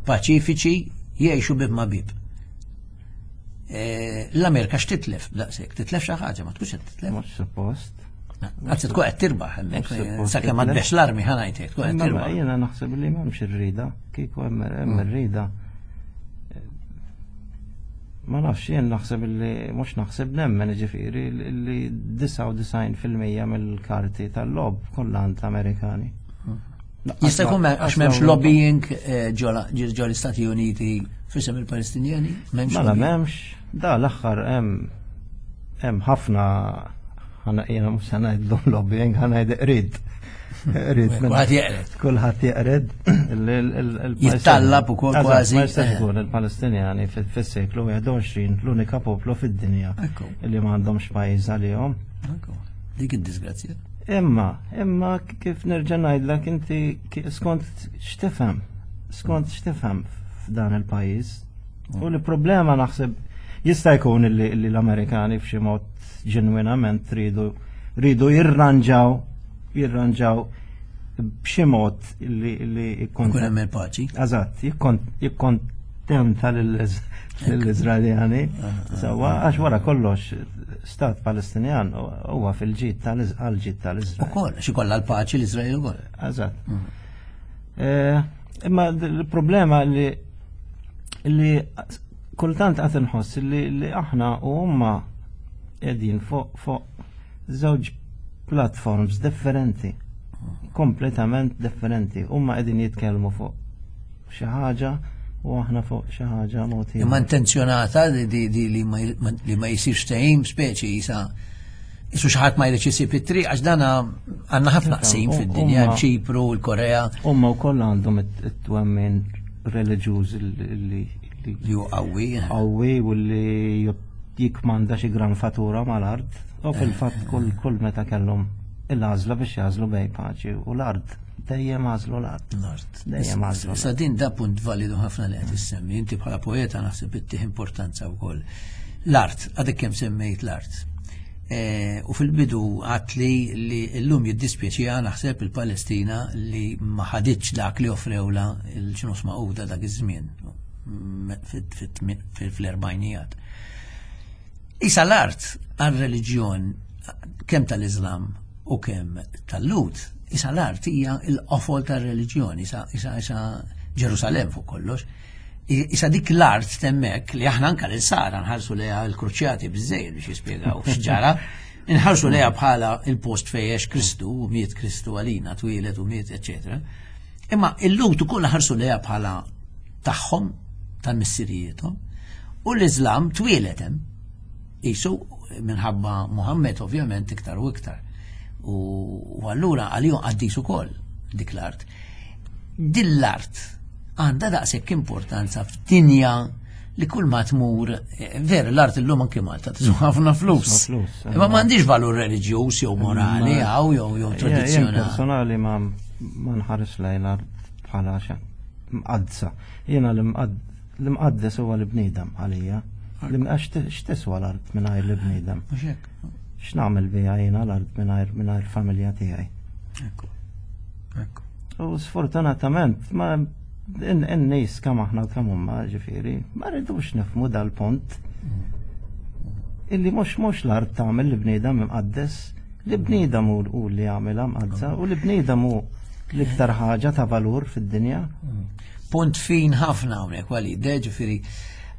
paċifiċi jgħixu bib ma bib. L-Amerika x'titlef daqshekk? Titlef xi ħaġa, ma tkunx qed titlef. Mhux suppost. Anzi tkun qed tirbaħ hemmhekk, sakemm ma tbex l-armi ħa ngħidlek, tkun qed tirbaħ. Jiena naħseb li m'hemmx irrida, kieku hemm irrida. Ma nafx, jien naħseb li mhux naħseb nemmen ġifieri li disgħa u disgħin fil-mija mill-karti tal-lob kollha għand l-Amerikani. Jista' jkun għax m'hemmx lobbying ġol l-Istati Uniti f'isem il-Palestinjani? Mela m'hemmx, da l-aħħar hemm hemm ħafna jiena mhux se ngħidlu lobbying, ħa ngħid qrid. Kulħadd jeqred. Kulħadd jeqred. Jittallab ukoll kważi. Ma jistax ikun il-Palestinjani fis-seklu wieħed u għoxrin l-unika poplu fid-dinja li m'għandhomx pajjiż għalihom. Dik id-disgrazzja. Imma, imma kif nerġa' ngħidlek inti skont x'tifhem, skont x'tifhem f'dan il-pajjiż. U l-problema naħseb Jista' jkun li l-Amerikani b'xi mod ġenwinament ridu ridu jirranġaw jirranġaw b'xi mod li li jkun hemm il-paċi. Eżatt, jikkontenta lill-Iżraeljani. Sewwa, għax wara kollox stat Palestinjan huwa fil-ġid tal-ġid tal-Iżrael. Ukoll, xi kollha l-paċi l-Iżrael ukoll. Eżatt. Imma l-problema li li kultant qed inħoss li aħna u huma qegħdin fuq fuq żewġ platforms differenti, kompletament differenti. Huma qegħdin jitkellmu fuq xi ħaġa u aħna fuq xi ħaġa mod ieħor. Imma intenzjonata di li ma jsirx ftehim, speċi jisa jisu xi ħadd ma jridx isib it-triq, għax dana għandna ħafna qsim fid-dinja, Ċipru, l-Korea. Huma wkoll għandhom it-twemmin reliġjuż li li hu qawwi. Qawwi u li jikmanda xi gran fatura mal-art. U fil-fatt kull kull meta kellhom il-għażla biex jagħżlu bejn paċi u l-art, dejjem għażlu l-art. L-art. Dejjem għażlu. Sa din da punt validu ħafna li qed issemmi, inti bħala poeta naħseb ittih importanza wkoll. L-art, għadek kemm semmejt l-art. U fil-bidu għat li li llum jiddispjaċiha naħseb il-Palestina li ma ħaditx dak li offrewla l-ġnus Magħquda dak iż-żmien fl-erbajnijat. Isa l-art għal-reliġjon kemm tal-Islam u kemm tal-Lut, isa l-art hija l-qofol tar-reliġjon, isa isa isa Ġerusalem fuq kollox. Isa dik l-art temmek li aħna anka l-Sara nħarsu lejha l-kruċjati biżejjed biex jispjegaw x'ġara, nħarsu lejha bħala il-post fejn Kristu u miet Kristu għalina, twieled u miet, eċetera. Imma il-Lut ukoll ħarsu lejha bħala tagħhom, tal-missirijiethom, u l-Islam twieled hemm. Isu minħabba Muhammed ovvjament iktar u iktar. U allura għalihom qaddis ukoll dik l-art. Din l-art għandha daqshekk importanza f'dinja li kull ma tmur, ver l-art illum anke Malta tiswa ħafna flus. Imma m'għandix valur reliġjuż jew morali hawn jew jew tradizzjonali. Personali ma nħares lejn l-art bħala xi mqaddsa. Jiena l-imqaddes huwa l-bniedem għalija. Għax x'tiswa l-art mingħajr l-bniedem? X'nagħmel biha jiena l-art mingħajr mingħajr familja tiegħi? Ekku. Ekku. U sfortunatament ma in-nies kemm aħna u kemm huma ġifieri ma rridux nifhmu dal-punt. Illi mhux mhux l-art tagħmel l-bniedem imqaddes, l-bniedem hu li jagħmilha mqaddsa u l-bniedem hu l-iktar ħaġa ta' valur fid-dinja. Punt fin ħafna hawnhekk Walid, ġifieri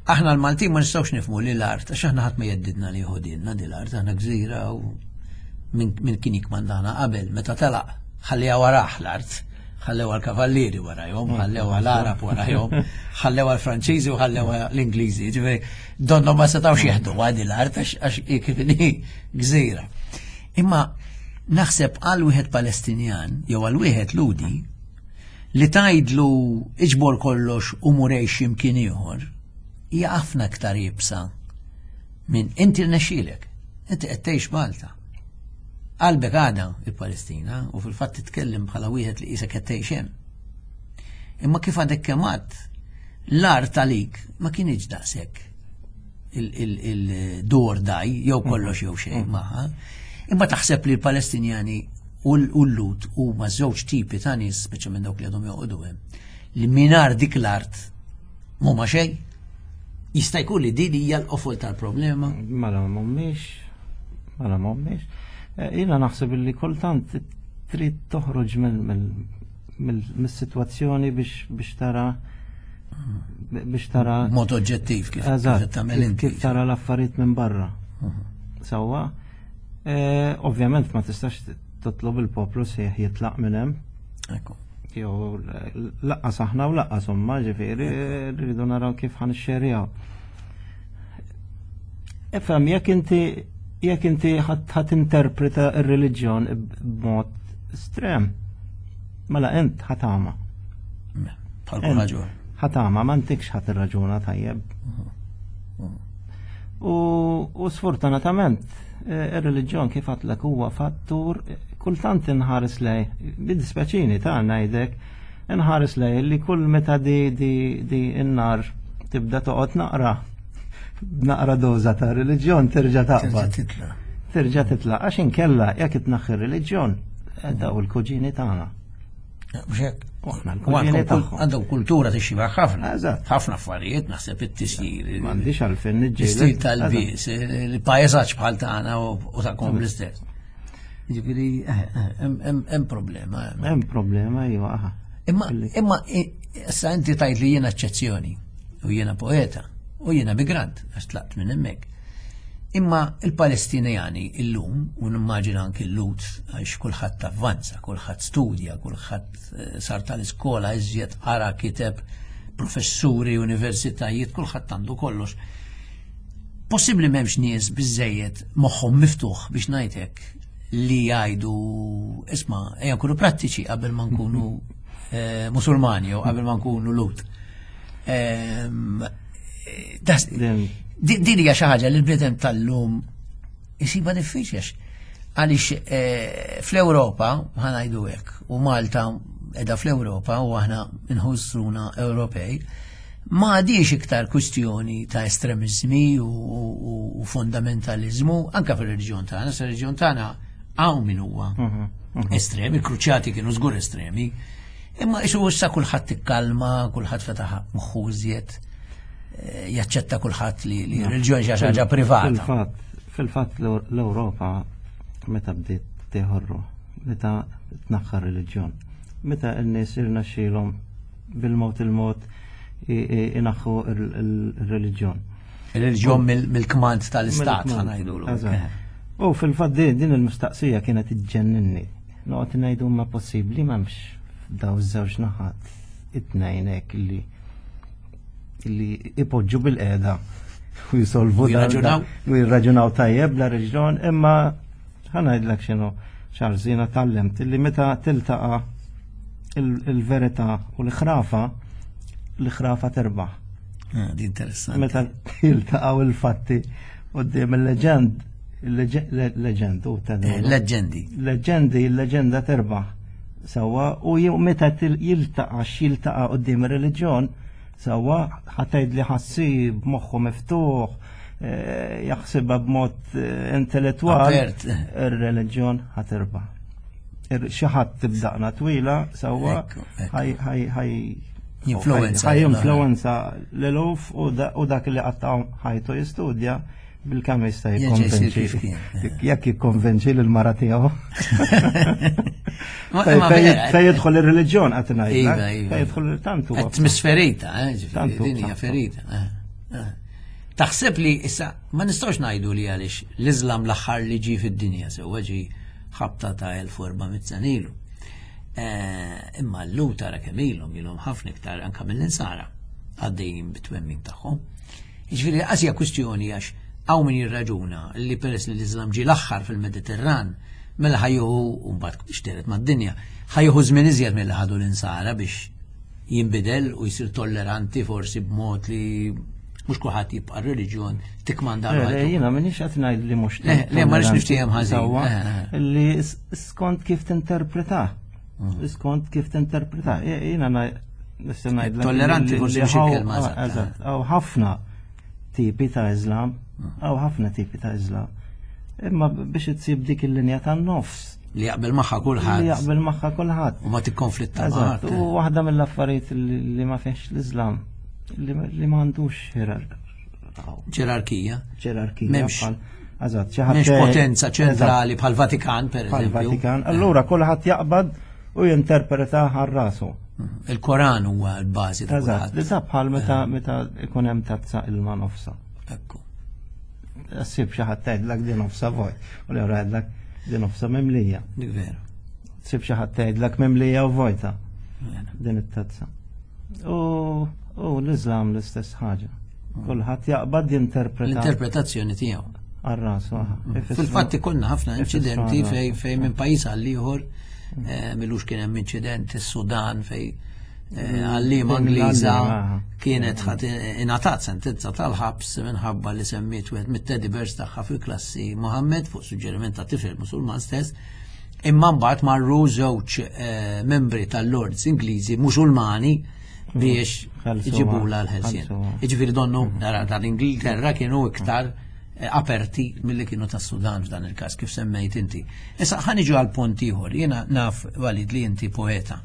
aħna l-Maltin ma nistgħux nifhmu li l-art, għax aħna ħadd ma jeddidna li jħodilna di l-art, aħna gżira u min kien jikmandana qabel, meta telaq ħalliha warah l-art, ħallewha l-kavallieri warajhom, ħallewha l-Arab warajhom, ħallewha l-Franċiżi u ħallewha l-Ingliżi, ġifieri donnhom ma setgħux jeħduha di l-art għax kif inhi gżira. Imma naħseb għal wieħed Palestinjan jew għal wieħed Ludi li tgħidlu iġbor kollox u murejx x'imkien ieħor, hija ħafna aktar iebsa minn inti rnexxielek, inti qed tgħix Malta. Qalbek għadha il-Palestina u fil-fatt titkellem bħala wieħed li qisek qed tgħix hemm. Imma kif għadek kemm għadd, l-art għalik ma kienx daqshekk il-dur daj jew kollox jew xejn magħha. Imma taħseb li l-Palestinjani u l-Lut huma żewġ tipi ta' nies, speċjalment dawk li għadhom joqogħdu hemm, li mingħajr dik l-art m'huma xejn. Jista' jkun li din hija l-qofol tal-problema? Mela mhumiex, mela mhumiex. Jiena naħseb li kultant trid toħroġ mill-sitwazzjoni biex biex tara biex tara mod oġġettiv kif tagħmel inti. Kif tara l-affarijiet minn barra. Sewwa, ovvjament ma tistax titlob il-poplu sejħ jitlaq minn hemm. Ekku. Jew laqqas aħna u laqqas huma, ġifieri rridu naraw kif ħanixxerjaw. Ifhem, jekk inti jekk inti ħadd interpreta r-reliġjon b'mod estrem, mela int ħatama. Bħal kull raġun. Ħatama, ma ntikx ħadd irraġuna tajjeb. U sfortunatament ir-reliġjon kif għadlek huwa fattur kultant inħares lej, bid-dispeċini ta' ngħidek, inħares lej li kull meta di di di n-nar tibda toqgħod naqra. Naqra doża ta' reliġjon terġa' taqbad. Titla. Terġa' titla' għax inkella jekk itnaħħi reliġjon daw il-kuġini tagħna. Mhux hekk. U aħna U l-kuġini għandhom kul- tagħhom. Għandhom kultura tixxiba ħafna. Eżatt. Ħafna affarijiet, naħseb it-tisjir. M'għandix għalfejn L-istil niġġieled. tal-bis, il-pajjeżaġġ bħal tagħna u u tagħkom l-istess. Jiġifieri eh, eh, hemm- hemm hemm problema. hemm. Hemm problema iva. aha. Imma Illi- imma i- issa inti tajt li jiena eċċezzjoni u jiena poeta u jiena migrant għax tlaqt minn hemmhekk. Imma il-Palestinjani illum, u nimmaġina anki l-Lut, għax kulħadd avvanza, kulħadd studja, kulħadd eh, sar tal-iskola, iżjed qara kiteb, professuri, universitajiet, kulħadd għandu kollox. Possibbli m'hemmx nies biżejjed moħħhom miftuħ biex ngħidlek li jgħidu isma' ejja nkunu prattiċi qabel ma nkunu eh, Musulmani jew qabel ma nkunu Lut. Ehm, eh, das- Din- Din din hija xi ħaġa li l-bniedem tal-lum isiba diffiċli għax għaliex eh, fl-Ewropa ħa ngħidu hekk u Malta qiegħda fl-Ewropa u aħna nħossuna Ewropej ma għadix iktar kwistjoni ta' estremizmi u, u, u fundamentalizmu anka fil-reġjon tagħna, sa reġjon tagħna hawn min huwa estremi, il-kruċjati kienu żgur estremi, imma isu issa kulħadd ikkalma, kulħadd fetaħ moħħu iżjed, eh, jaċċetta kulħadd li li reliġjon xi ħaġa privata. Fil-fatt, fil-fatt l-Ewropa meta bdiet teħorru, meta tnaħħar reliġjon, meta n-nies irnexxielhom bil-mod il-mod i- i- inaħħu il-reliġjon. Il-reliġjon mill- mill-kmand tal-istat Mill-kmand, ħa ngħidulu. Eżatt. U fil-fatt din din il-mistaqsija kienet iġġenninni. Noqgħod ngħidu ma possibbli m'hemmx daw iż-żewġ naħat it-tnejn hekk li li ipoġġu bil-qeda u jisolvu U jirraġunaw. u jirraġunaw tajjeb la reġjon imma ħa ngħidlek x'inhu Charles jiena tgħallimt illi meta tiltaqa' il- il-verità u l-ħrafa l-ħrafa terbaħ. Ah, Di interessanti. Meta jiltaqgħu il-fatti quddiem il-leġend, il-leġend u ta' Eh, Leġendi. Leġendi, il-leġenda terbaħ. Sawa, u jew meta til- jiltaqa' x'jiltaqa' quddiem ir-reliġjon, sawa ħa tgħid li ħassib moħħu miftuħ, eh, jaħsibha b'mod eh, intellettwal, Apert. ir-reliġjon ħa terbaħ. Ir- Xi ħadd tibdaqna twila, sawa, Ekku, ekku. ħaj ħaj ħaj Jinfluwenza. ħaj jinfluwenza l-eluf u da- u dak li qatta' ħajtu jistudja bil-kemm jista' Jerġa' jsir kif jikkonvinċi. kien. Jekk jikkonvinċi lil-mara tiegħu. Ma- Fej ma vera, fej jidħol ir-reliġjon qed ngħidlek. Iva, iva. Fej jidħol tantu. Qed tmiss ferita, eh, ġifieri, Tantu, din hija tantu. ferita. eh, eh. Taħseb li issa ma nistgħux ngħidu li għaliex l-Iżlam l-aħħar li ġie fid-dinja sewwa ġi ħabta ta' elf u erba' mitt sena ilu. Eh, Imma l-Lhud tara kemm ilhom ilhom ħafna iktar anke mill-insara għaddejjin bit-twemmin tagħhom. Jiġifieri qas hija kwistjoni għax hawn min jirraġuna li peress li l-Iżlam ġie l-aħħar fil-Mediterran mela ħa jieħu u mbagħad xteret mad-dinja, ħa jieħu żmien iżjed milli ħadu l-insara biex jinbidel u jsir tolleranti forsi b'mod li mhux kulħadd jibqa' reliġjon tikmanda Le, le, Jiena m'iniex qed ngħid li mhux Le, le, ma rridx niftiehem ħażin. Sewwa, Eh, eh. Li s- skont kif tinterpreta. Mm. Skont kif tinterpreta. Jiena nista' ngħidlek. Tolleranti li- forsi li mhux ħaw- il-kelma ah, eżatta. Eżatt, hawn ħafna tipi ta' Islam, Mm. hawn ħafna tipi ta' Islam. Imma biex itsib dik il-linja tan-nofs Li jaqbel magħha li kulħadd jaqbel magħha kulħadd. u ma tikkonflitta Eżatt, maħadd. u waħda mill-affarijiet li li ma fiex l-Islam li li m'għandux ġerar- Ġerarkija. ġerarkija. M'hemmx- bħal- Eżatt, xi ħadd M'hemmx jgħid- potenza ċentrali Eżatt, bħal Vatikan per bħal eżempju. Vatikan. Allura kulħadd jaqbad u jinterpreta għal rasu. Il-Koran huwa l-bażi ta' Eżatt, kulħadd. li ta' bħal meta meta ikun hemm tazza ilma nofsa. Ekku. Ssib xi ħadd tgħidlek din nofsa vojt, u l jgħidlek din nofsa mimlija. Dik veru. Tsib xi ħadd tgħidlek mimlija u vojta Vera. din it-tazza. U u l-Islam l-istess ħaġa. Kulħadd jaqbad jinterpreta L-interpretazzjoni tiegħu. għal rasu. aha. Ifissru- Fil-fatt ikollna ħafna ifissru inċidenti għal fej rasu. fej minn pajjiż għal ieħor eh, milux kien hemm inċident is-Sudan fej eh, għallima Din Ingliża l-għallima, aha. kienet ħadd ingħatat sentenza tal-ħabs minħabba li semmiet wieħed mit-teddy bears tagħha fil-klassi Mohammed fuq suġġeriment ta' tifel Musulman stess. Imma mbagħad marru żewġ eh, membri tal-Lords Ingliżi Musulmani biex iġibula l-ħelsien. Jiġifieri donnu nara tal-Ingilterra kienu iktar eh, aperti milli kienu tas-Sudan f'dan il-każ kif semmejt inti. Issa ħa niġu għal punt ieħor, jiena naf, Walid, li inti poeta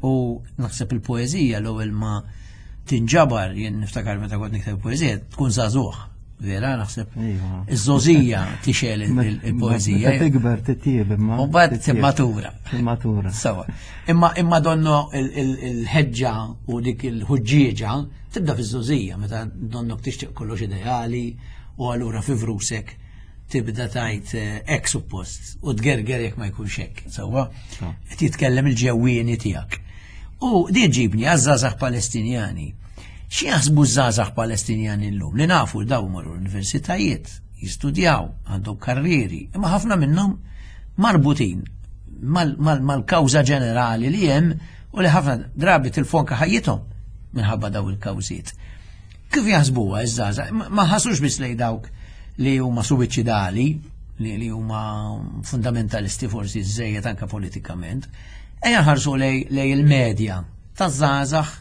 u naħseb il-poeżija l-ewwel ma tinġabar, jien niftakar meta kont nikteb poeżija, tkun żagħżugħ. Vera, naħseb Iva. iż-żgħożija tixgħel il-poeżija. Meta tikber titjieb imma. U mbagħad timmatura. Timmatura. Sawa. Imma imma donno il-ħeġġa u dik il-ħuġġieġa tibda fiż-żgħożija meta donnok tixtieq kollox ideali u allura fi vrusek tibda tajt hekk suppost u tgerger jekk ma jkunx hekk. Sawa. Qed jitkellem il-ġewwieni tiegħek. U di ġibni għaż-żgħażagħ Palestinjani. Xi jaħsbu żgħażagħ Palestinjani llum li nafu daw marru l-universitajiet, jistudjaw, għandhom karrieri, imma ħafna minnhom marbutin mal-kawża ġenerali li hemm u li ħafna drabi tilfu anke ħajjithom minħabba daw il-kawżiet. Kif jaħsbuha iż-żgħażagħ? Ma ħasux biss lej dawk li huma suwiċidali, li, li huma fundamentalisti forsi żejjed anke politikament, ejja nħarsu lej, lej il-medja taż-żgħażagħ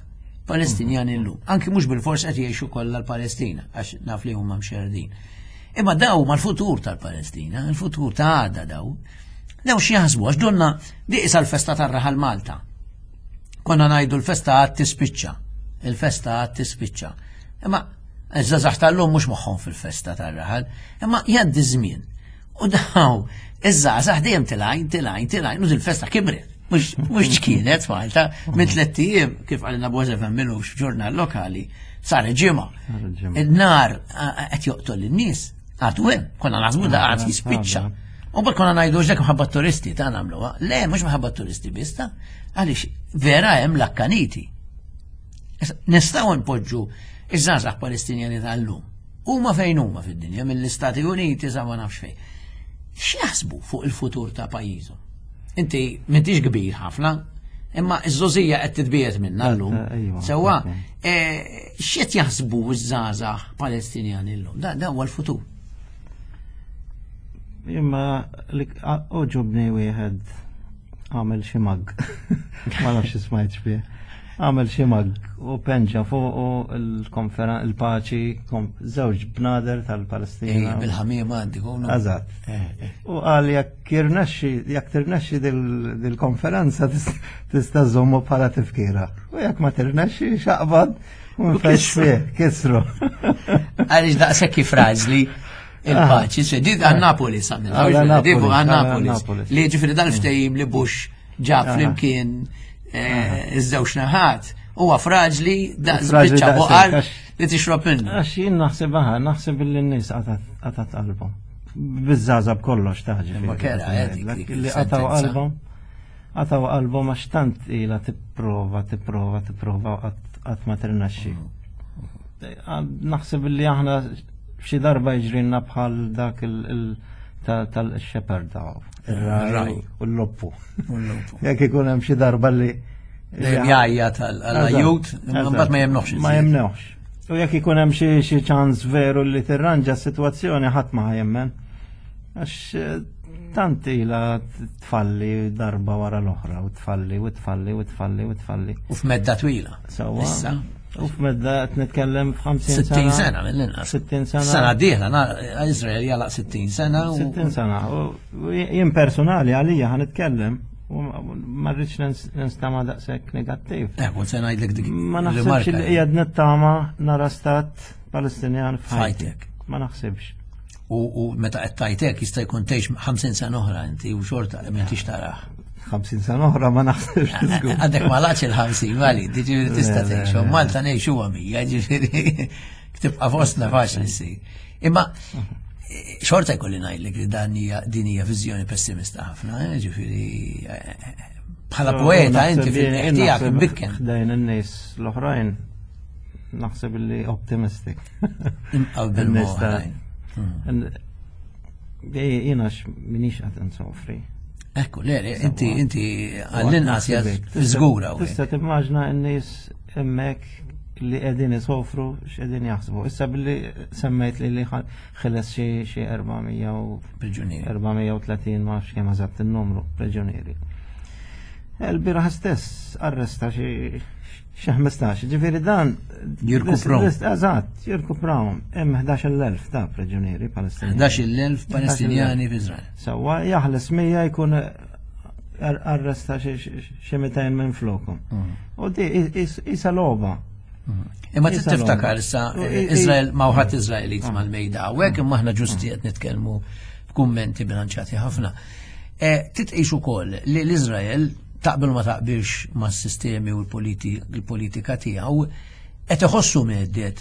Palestinjani llum. Anki mhux bil-fors qed jgħixu kollha l-Palestina, għax naf li huma mxerdin. Imma daw ma l-futur tal-Palestina, il-futur ta' għada daw. Daw xi jaħsbu għax donna di isa l-festa tar-raħal Malta. Konna ngħidu l-festa għad tispiċċa. Il-festa għad tispiċċa. Imma iż-żgħażagħ tal-lum mhux moħħhom fil-festa tar-raħal, imma jgħaddi żmien. U daw, iż-żgħażagħ dejjem tilgħin, tilgħin, tilgħin, u il-festa kibret. Mhux kienet Malta, minn tlett ijiem, kif għalina Bozef milux f'ġurnal lokali, sar ġimgħa. Il-nar qed joqtol in-nies, għadu hemm, konna naħsbu da għad jispiċċa. U bak konna ngħidu dak minħabba turisti ta' nagħmluha. Le, mhux minħabba turisti biss ta' għaliex vera hemm l-akkaniti. Nistgħu npoġġu iż-żgħażagħ Palestinjani tal-lum. Huma fejn huma fid-dinja, mill-Istati Uniti sa ma nafx fejn. X'jaħsbu fuq il-futur ta' pajjiżhom? Inti m'intix kbir ħafna, imma iż-żgħożija qed titbiegħed minna llum. Sewwa, x'qed jaħsbu ż-żgħażagħ Palestinjani llum? Da huwa l-futur. Imma għoġobni wieħed għamel xi mug. Ma nafx smajt xbih. Għamel xi mug u penġa fuq il-paċi żewġ bnader tal-Palestina. Bil-ħamiema għandi. Eżatt. U qal jekk jirnexxi jekk tirnexxi dil-konferenza tista' żommu bħala tifkira. U jekk ma tirnexxi xaqbad u nfex fih, kisru. Għaliex daqshekk frażli il-paċi, se di għal Napoli samil, għal Napolis. Li ġifieri dal-ftehim li Bush ġab flimkien iż-żewġ naħat, huwa fraġli daqs biċċa buqar li tixrob minnu. Għax jien naħseb aha, naħseb li n-nies qatat qalbhom. Biż-żgħażagħ b'kollox taħġi. Ma kera, li qataw qalbhom. Qataw qalbhom għax tant ilha tipprova, tipprova, tipprova qatt ma tirnexxi. Naħseb li aħna xi darba jiġrilna bħal dak tal-shepherd ir-raj u l-loppu. Jekk ikun hemm xi darba li jgħajja tal-ajjut, mbagħad ma jemnuħx. Ma jemnuħx. U jekk ikun hemm xi ċans veru li tirranġa s-sitwazzjoni ħadd ma jemmen. Għax tant ilha tfalli darba wara l-oħra u tfalli u tfalli u tfalli u tfalli. U f'medda twila. Sewwa. U f'medda qed nitkellem f'ħamsin sena. sittin sena mill-inqas. sittin sena. Sena dieħla, Izrael jalaq sittin sena. sittin sena. U jien personali għalija ħa nitkellem u ma rridx ninstama' daqshekk negattiv. Eh, kont se ngħidlek dik. Ma naħsibx li qiegħed nittama nara stat Palestinjan f'ħajtek. Ma naħsibx. U meta qed tajtek jista' jkun tgħix ħamsin sena oħra inti u xorta m'intix tarah. ħamsin sena oħra ma naħsibx. Għandek ma laqx il-ħamsin, vali, ġifieri tista' tgħix. Malta ngħixu mija, ġifieri tibqa' fostna faċli ssir. Imma xorta jkolli ngħidlek li dan hija din hija viżjoni pessimista ħafna, ġifieri bħala poeta inti fil-qiegħ tiegħek imbikken. Ħdejn in-nies l-oħrajn naħseb li optimistic. Imqabbel oħrajn. Jiena minix qed insofri. Ekku, le, inti inti għall-inqas żgura. Tista' timmaġna n-nies hemmhekk li qegħdin isofru x'qegħdin jaħsbu. Issa billi semmejt li li ħeles xi xi erba' mija u priġunieri. erba' mija u tletin ma nafx kemm eżatt in-numru priġunieri. Il-bieraħ stess arresta xi xi ħmistax. Ġifieri dan Jirkuprahom. Eżatt, jirkuprahom. Hemm ħdax-il elf ta' priġunieri Palestinjani. ħdax-il elf Palestinjani f'Izrael. Sewwa, jaħles mija jkun ar- arresta xi xi mitejn minn flokom. U di isa logħba. Imma trid Isa tiftakar logħba. issa U i- i- Izrael ma wħadd Izraelit mal-mejda hawnhekk, imma aħna ġusti qed nitkellmu f'kummenti bilanċati ħafna. Eh, Titqix ukoll li l-Izrael, taqbel ma taqbilx mas-sistemi u l-politika tiegħu, qed iħossu mhedded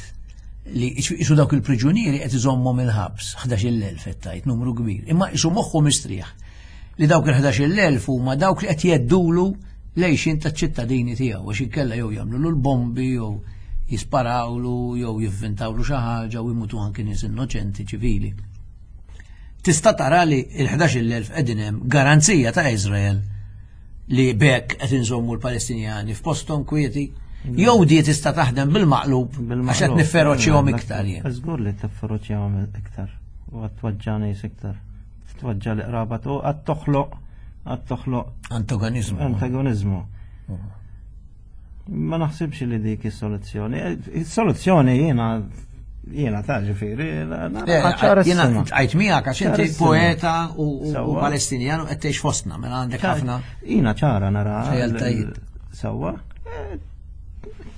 li isu dawk il-priġunieri qed iżommhom il-ħabs, ħdax-il elf qed tgħid, numru kbir. Imma isu moħħu mistrieħ li dawk il-ħdax-il elf huma dawk li qed jheddulu l-għixien taċ-ċittadini tiegħu, għax inkella jew jagħmlu l-bombi jew jisparawlu jew jivvintawlu xi ħaġa u jmutu anki nies innoċenti ċivili. Tista' tara li l-ħdax-il elf qegħdin hemm garanzija ta' Izrael li bekk qed inżommu l-Palestinjani f'posthom kwieti, jew di tista' taħdem bil-maqlub għax qed nifferoċjhom iktar jien? Żgur li tifferoċjahom iktar u għad tweġġa' nies iktar. Tweġġa' l-qraba u għad toħloq għad toħloq Antagonizmu. Antagonizmu. Ma naħsibx li dik is-soluzzjoni. Is-soluzzjoni jiena jiena ta' ġifieri Jiena għajt miegħek għax inti Ċarissima. poeta u u Sewwa. Palestinjan u qed tgħix fostna, mela għandek ħafna Jiena ċara nara. Realtajiet. Sewwa. Eh,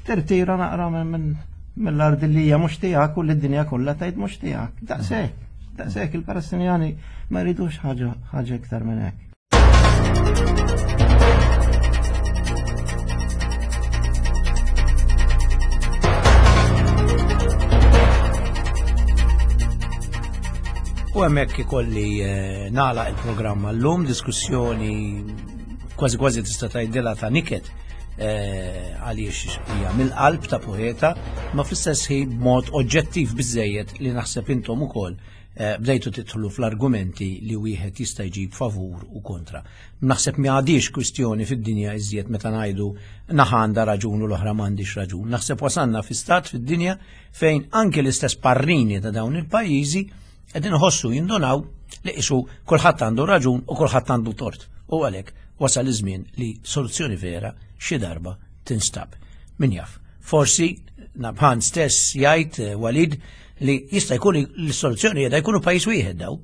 Tirtira naqra minn minn mill-ard li hija mhux tiegħek u li d-dinja kollha tgħid mhux tiegħek. Daqshekk. Daqshekk, il-Palestinjani ma jridux ħaġa ħaġa iktar minn hekk. U hemmhekk ikolli eh, nagħlaq il-programm llum, diskussjoni kważi kważi tista' tgħidilha ta' niket eh, għaliex hija mill-qalb ta' poeta, ma fl-istess ħin b'mod oġġettiv biżejjed li naħseb intom ukoll eh, bdejtu tidħlu fl-argumenti li wieħed jista' jġib favur u kontra. Naħseb mi għadix kwistjoni fid-dinja iżjed meta ngħidu naħa għandha raġun u l-oħra m'għandix raġun. Naħseb wasanna fi stat fid-dinja fejn anke l-istess parrini ta' dawn il-pajjiżi qegħdin iħossu jindunaw li qisu kulħadd għandu raġun u kulħadd għandu tort. U għalhekk wasal iż-żmien li soluzzjoni vera xi darba tinstab. Min jaf, forsi Nabhan stess jgħid, eh, Walid, li jista' jkun l-soluzzjoni qiegħda jkunu pajjiż wieħed daw.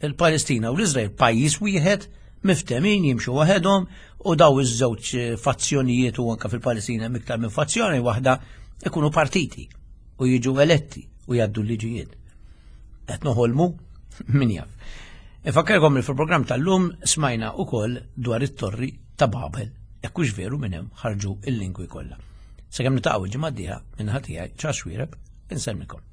Il-Palestina u l-Iżrael pajjiż wieħed miftemin jimxu waħedhom u daw iż-żewġ eh, fazzjonijiet, u anka fil-Palestina hemm iktar minn fazzjoni waħda, ikunu partiti u jiġu eletti u jgħaddu l-liġijiet. Qed noħolmu, min jaf. Infakkarkom li fil-programm tal-lum smajna ukoll dwar it-torri ta' Babel, jekk hux veru minn hemm ħarġu il-lingwi kollha. Sakemm niltaqgħu il-ġimgħa d-dieħla, minn ħatijaj ċas Xuereb, insellmilkom.